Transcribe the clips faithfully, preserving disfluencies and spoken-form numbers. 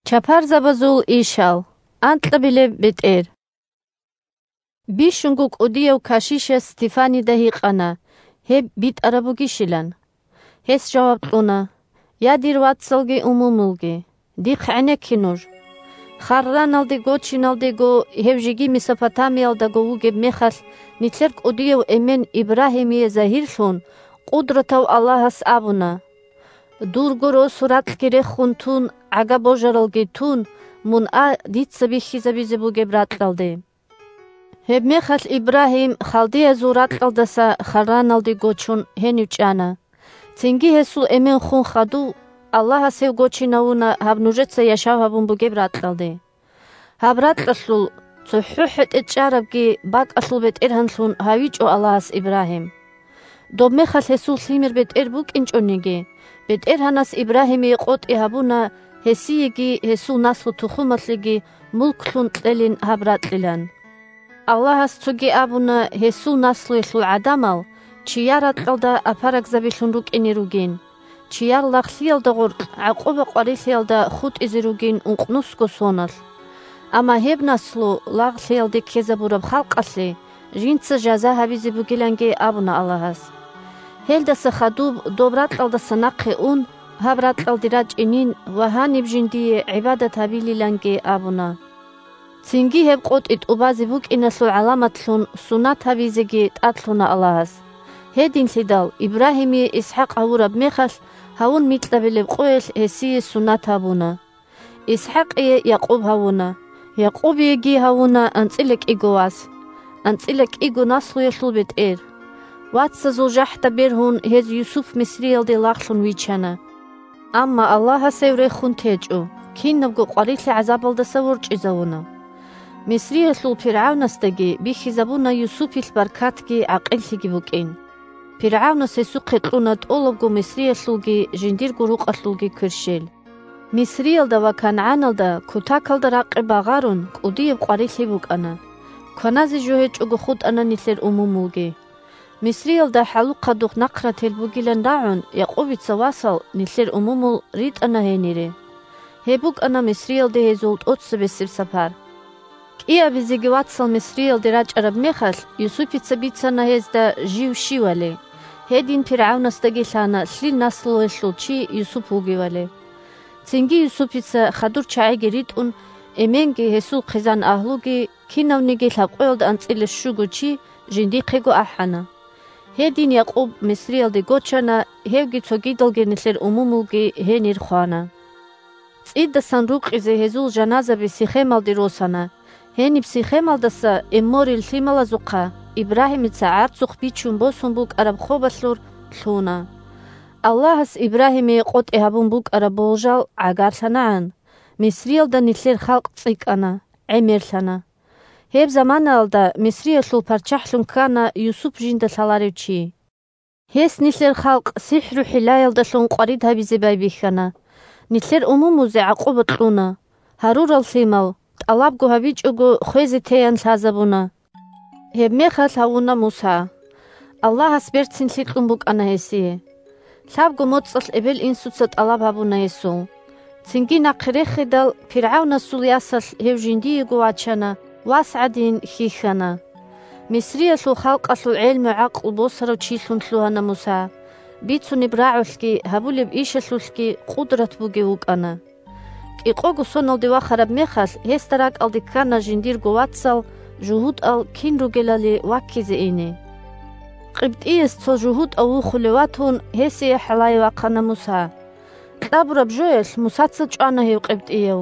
Чапарзабазул ишал. Анкьабилеб бетӀер. Бищунго кӀудияв кашишас Стефанида гьикъана, гьеб битӀараб бугищилан. Гьес жаваб кьуна: «Я, дир вацалги умумулги, дихъ гӀенекке нуж. Харраналде гочиналдего, гьев жеги Месопотамиялдаго вугеб мехалъ, нилъер кӀудияв эмен Ибрагьимие загьирлъун, Къудратав Аллагьас абуна: Дурго росу ракьги рехун тун, гӀага божаралги тун, мун а дица бихьизабизе бугеб ракьалде». Гьебмехалъ Ибрагьим халдеязул ракьалдаса Харраналде гочун гьенив чӀана. Цинги гьесул эмен хун хадув, Аллагьас гьев гочинавуна гьаб нужеца яшав гьабун бугеб ракьалде. Гьаб ракьалъул цохӀо хӀетӀе чӀарабги бакӀалъул бетӀергьанлъун гьавичӀо Аллагьас Ибрагьим. Доб мехалъ гьесул лъимер бетӀер букӀинчӀониги, БетӀергьанас Ибрагьимие къотӀи гьабуна гьесиеги гьесул наслу-тухумалъеги мулклъун кьелин гьаб ракьилан. Аллагьас цоги абуна гьесул наслуялъул гӀадамал чияр ракьалда апарагзабилъун рукӀине ругин, чияр лагълъиялда гъоркь гӀакъуба-къварилъиялда хутӀизе ругин ункънусго соналъ. Амма гьеб наслу лагълъиялде ккезабураб халкъалъе жинца жаза гьабизе бугиланги абуна Аллагьас. Гьелдаса хадуб доб ракьалдаса нахъе ун, гьаб ракьалде рачӀинин ва гьаниб жиндие гӀибадат гьабилиланги абуна. Цинги гьеб къотӀи тӀубазе букӀиналъул гӀаламатлъун сунат гьабизеги тӀадлъуна Аллагьас. Гьединлъидал Ибрагьимие ИсхӀакъ гьавураб мехалъ, гьавун микьабилеб къоялъ гьесие сунат гьабуна. ИсхӀакъие Якъуб гьавуна, Якъубиеги гьавуна анцӀила кӀиго вас, анцӀила кӀиго наслуялъул бетӀер. Вацазул жахӀда бергьун гьез Юсуп Мисриялде лагълъун вичана. Амма Аллагьас гьев рехун течӀо, кинабго къварилъи гӀазабалдаса ворчӀизавуна. Мисриялъул пиргӀавнасдаги бихьизабуна Юсупилъ баркатги гӀакъиллъиги букӀин. ПиргӀавнас гьесухъе кьуна тӀолабго Мисриялъулги жиндирго рукъалъулги кверщел. Мисриялда ва КангӀаналда кутакалда ракъи багъарун кӀудияб къварилъи букӀана. Кваназе жо гьечӀого хутӀана нилъер умумулги. Мисриялда хӀалухъадухъ нахърател бугилан рагӀун, Якъубица васал, нилъер умумул, ритӀана гьенире. Гьеб букӀана Мисриялде гьезул тӀоцебесеб сапар. КӀиабизеги вацал Мисриялде рачӀараб мехалъ, Юсупица бицана гьезда жив щивали. Гьедин пиргӀавнасдаги лъана лъил наслуялъул чи Юсуп вугевали. Цинги Юсупица хадур чагӀиги ритӀун, эменги, гьесул хъизан-агьлуги, кинавниги лъабкъоялда анцӀила щуго чи жиндихъего ахӀана. Гьедин Якъуб Мисриялде гочана, гьевги цогидалги нилъер умумулги гьенир хвана. ЦӀидасан рукъизе гьезул жаназаби Сихемалде росана. Гьениб Сихемалдаса Эмморил лъималазухъа Ибрагьимица гӀарцухъ бичун босун букӀараб хобалъур лъуна. Аллагьас Ибрагьимие къотӀи гьабун букӀараб болжал гӀагарлъанагӀан, Мисриялда нилъер халкъ цӀикӀкӀана, гӀемерлъана. Гьеб заманаялда Мисриялъул парччахӀлъун ккана Юсуп жинда лъаларев чи. Гьес нилъер халкъ сихӀру-хӀилаялдалъун къварид гьабизе байбихьана. Нилъер умумузе гӀакъуба кьуна. Гьарурал лъимал, тӀалабго гьабичӀого, хвезе теян лъазабуна. Гьебмехалъ гьавуна Муса. Аллагьас берцинлъи кьун букӀана гьесие. Лъабго моцӀалъ эбел-инсуца тӀалаб гьабуна гьесул. Цинги нахъе рехидал, пиргӀавнасул ясалъ гьев жиндиего вачана, вас гӀадин хьихьана. Мисриялъул халкъалъул гӀелму-гӀакълу босарав чилъун лъугьана Муса. Бицунеб рагӀулъги гьабулеб ишалъулъги къудрат бугев вукӀана. КӀикъого соналде вахараб мехалъ, гьесда ракӀалде ккана жиндирго вацал, жугьутӀал кин ругелали ваккизе ине. КъибтӀияс цо жугьутӀав вухулев ватун, гьесие хӀалае вахъана Муса. Кьабураб жоялъ Мусаца чӀвана гьев къибтӀияв.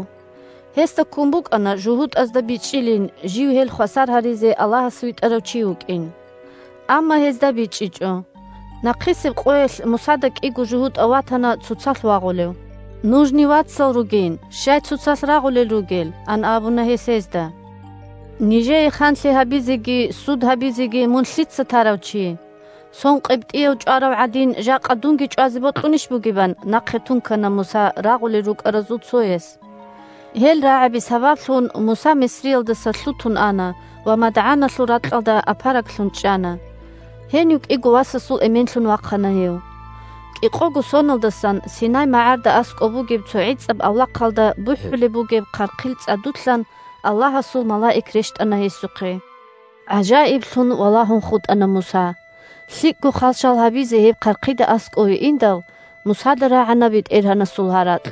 Гьесда ккун букӀана жугьутӀазда бичӀчӀилин, жив гьел хвасар гьаризе Аллагьас витӀарав чи вукӀин. Амма гьезда бичӀчӀичӀо. Нахъисеб къоялъ Мусада кӀиго жугьутӀав ватана цоцалъ вагъулев. «Нужни вацал ругин, щай цоцалъ рагъулел ругел?» – ан абуна гьес гьезда. «Нижее ханлъи гьабизеги суд гьабизеги мун лъица тарав чи? Сон къибтӀияв чӀварав гӀадин, жакъа дунги чӀвазе бокьунищ бугебан?» – нахъе тункана Муса рагъулел рукӀаразул цояс. Гьел рагӀаби сабаблъун Муса Мисриялдаса лъутун ана ва МадгӀаналъул ракьалда апараглъун чӀана. Гьенив кӀиго васасул эменлъун вахъана гьев. КӀикъого соналдасан Синай магӀарда аскӀоб бугеб цо гӀицӀаб авлахъалда бухӀулеб бугеб хъархъил цӀадулъан Аллагьасул малаик рещтӀана гьесухъе. ГӀажаиблъун валагьун хутӀана Муса. ЛъикӀго хвалчал гьабизе гьеб хъархъида аскӀове индал, Мусада рагӀана БетӀергьанасул гьаракь: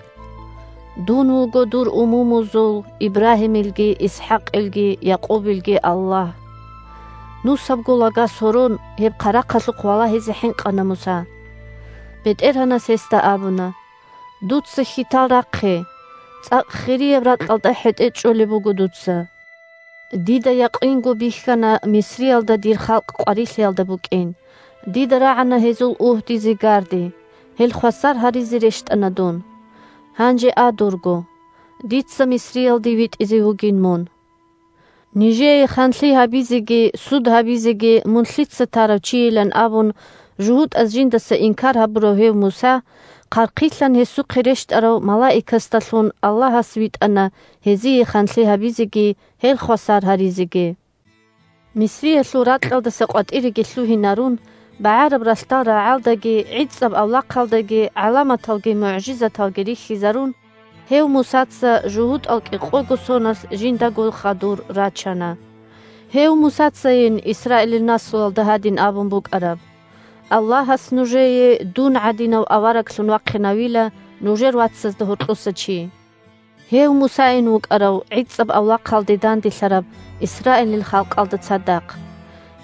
«Дун вуго дур умумузул, Ибрагьимилги, ИсхӀакъилги, Якъубилги Аллагь». Нусабго лага сорон, гьеб хъарахъалъухъ валагьизе хӀинкъана Муса. БетӀергьанас гьесда абуна: «Дуца хьитал рахъе, цӀакъ хирияб ракьалда хӀетӀе чӀолеб буго дуца. Дида якъинго бихьана Мисриялда дир халкъ къварилъиялда букӀин. Дида рагӀана гьезул угьдизе гарди, гьел хвасар гьаризе рещтӀана дун. Гьанже а дурго, дица Мисриялде витӀизе вугин мун. Нижее ханлъи гьабизеги суд гьабизеги мун лъица тарав чийилан», — абун, жугьутӀаз жиндаса инкар гьабурав гьев Муса, хъархъилъан гьесухъе рещтӀарав малаикасдалъун Аллагьас витӀана гьезие ханлъи гьабизеги гьел хвасар гьаризеги. Мисриялъул ракьалдаса къватӀиреги лъугьинарун, багӀараб ралъдал рагӀалдаги гӀицӀаб авлахъалдаги гӀаламаталги мугӀжизаталги рихьизарун, гьев Мусаца жугьутӀал кӀикъого соналъ жиндаго хадур рачана. Гьев Мусацайин Исраилил наслуялда гьадин абун букӀараб: «Аллагьас нужее дун гӀадинав авараглъун вахъинавила нужер вацазда гьоркьоса чи». Гьев Мусайин вукӀарав гӀицӀаб авлахъалде данделъараб Исраилил халкъалда цадахъ.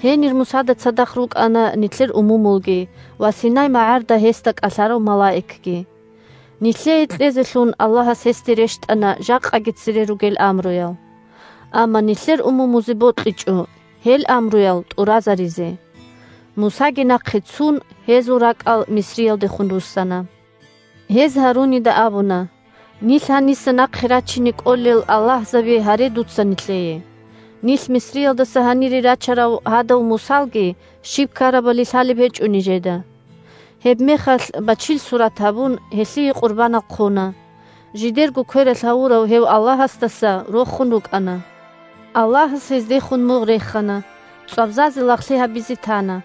Гьенир Мусада цадахъ рукӀана нилъер умумулги ва Синай магӀарда гьесда кӀалъарав малаикги. Нилъее кьезелъун Аллагьас гьесде рещтӀана жакъаги цере ругел амруял. Амма нилъер умумузе бокьичӀо гьел амруял тӀуразаризе. Мусаги нахъе цун, гьезул ракӀал Мисриялдехун руссана. Гьез Гьарунида абуна: «Нилъ гьаниса нахъе рачине кӀолел аллагьзаби гьаре дуца нилъее. Нилъ Мисриялдаса гьанире рачарав гьадав Мусалги щиб ккарабали лъалеб гьечӀо нижеда». Гьебмехалъ бачил сурат гьабун, гьелъие къурбанал хъуна. Жидерго квералъ гьавурав гьев Аллагьасдаса рохун рукӀана. Аллагьас гьездехун мугъ рехана, цӀвабзазе лагълъи гьабизе тана.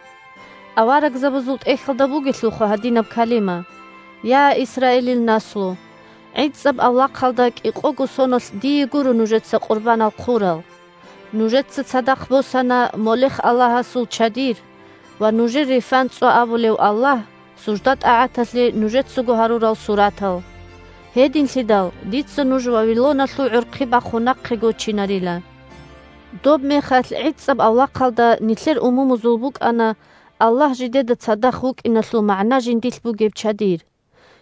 Аварагзабазул тӀехьалда бугелъулха гьадинаб калима: «Я, Исраилил наслу! ГӀицӀаб авлахъалда кӀикъого соналъ дие гуро нужеца къурбанал хъурал. Нужеца цадахъ босана Молех аллагьасул чадир ва нужер Рефан цӀва абулев аллагь, сужда-тӀагӀаталъе нужецаго гьарурал суратал. Гьединлъидал дица нуж Вавилоналъул гӀурхъи бахун нахъе гочинарила». Доб мехалъ гӀицӀаб авлахъалда нилъер умумузул букӀана Аллагь жидеда цадахъ вукӀиналъул магӀна жиндилъ бугеб чадир.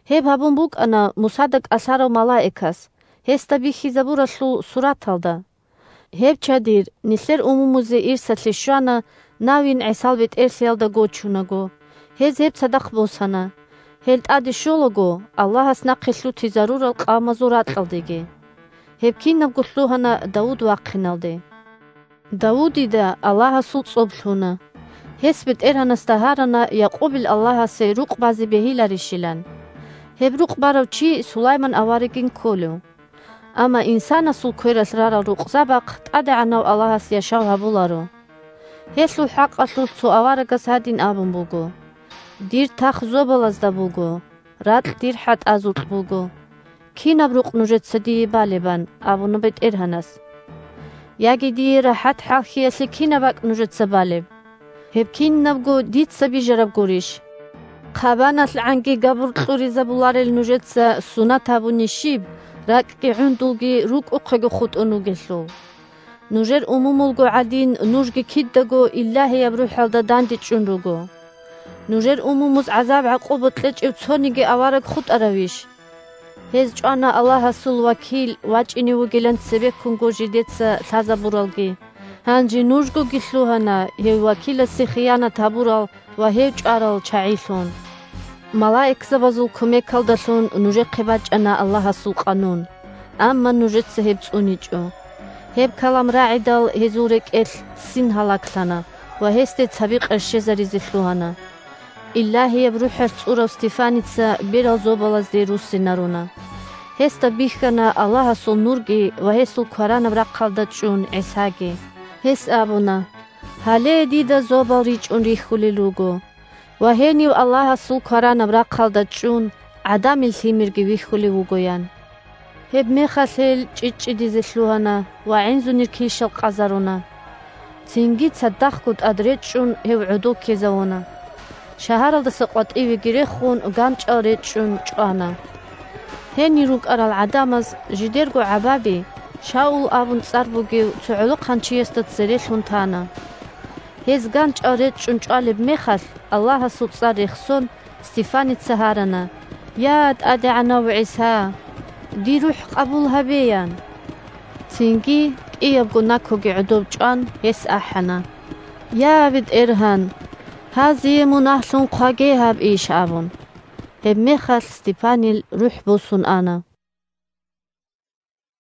Гьеб гьабун букӀана Мусада кӀалъарав малаикас, гьесда бихьизабуралъул сураталда. Гьеб чадир нилъер умумузе ирсалъе щвана, навин ГӀисал бетӀерлъиялда гочунаго. Гьез гьеб цадахъ босана. Гьел тӀаде щолаго Аллагьас нахъе лъутизарурал къавмазул ракьалдеги. Гьеб кинабго лъугьана Давуд вахъиналде. Давудида Аллагьасул цӀоб лъуна. Гьес БетӀергьанасда гьарана Якъубил Аллагьасе рукъ базе бегьиларищилан. Гьеб рукъ барав чи Сулайман аварагин кколев. Амма инсанасул квералъ рарал рукъзабахъ ТӀадегӀанав Аллагьас яшав гьабуларо. Гьелъул хӀакъалъулъ цо аварагас гьадин абун буго: «Дир тах зобалазда буго, ракь дир хӀатӀазулъ буго. Кинаб рукъ нужеца дие балебан?» — абуна БетӀергьанас. «Яги дие рахӀат хӀалхьиялъе кинаб бакӀ нужеца балеб? Гьеб кинабго дица бижараб гурищ? ХъабаналъгӀанги габур кьуризабуларел нужеца сунат гьабуни щиб, ракӀги гӀундулги рукӀухъего хутӀун вугелъул? Нужер умумулго гӀадин, нужги кидаго Илагьияб РухӀалда дандечӀун руго. Нужер умумуз гӀазаб-гӀакъуба кьечӀев цониги авараг хутӀаравищ?» Гьез чӀвана Аллагьасул вакил вачӀине вугилан цебеккунго жидеца лъазабуралги. Гьанже нужгоги лъугьана гьев вакиласе хиянат гьабурал ва гьев чӀварал чагӀилъун. Малаикзабазул кумекалдалъун нужехъе бачӀана Аллагьасул къанун, амма нужеца гьеб цӀуничӀо. Гьеб калам рагӀидал гьезул рекӀелъ син гьалаглъана ва гьесде цаби къерщезаризе лъугьана. Илагьияб РухӀалъ цӀурав Стефаница берал зобалазде руссинаруна. Гьесда бихьана Аллагьасул нурги ва гьесул кваранаб рахъалда чӀун ГӀисаги. Гьес абуна: «Гьале дида зобал ричӀун рихьулел руго. ва гьенив Аллагьасул кваранаб рахъалда чӀун, ГӀадамил Лъимерги вихьулев вугоян. Гьебмехалъ гьел чӀичӀчӀидизе лъугьана ва гӀинзунир килщал къазаруна. Цинги цадахъго тӀад речӀчӀун гьев гӀодов ккезавуна. Шагьаралдаса къватӀивеги рехун, ганчӀал речӀчӀун чӀвана. Гьенир рукӀарал гӀадамаз жидерго гӀабаби, Шаул абун цӀар бугев цо гӀолохъанчиясда цере лъун тана. Гьез ганчӀал речӀчӀун чӀвалеб мехалъ, Аллагьасул цӀар рехсон, Стефаница гьарана: «Я, ТӀадегӀанав ГӀиса! Дир рухӀ къабул гьабе!» – ян. Цинги, кӀиябго накоги гӀодов чӀван, гьес ахӀана: «Я, БетӀергьан! Гьазие мун ахлъун хъваге гьаб иш!» – абун. Гьебмехалъ Стефанил рухӀ босун ана.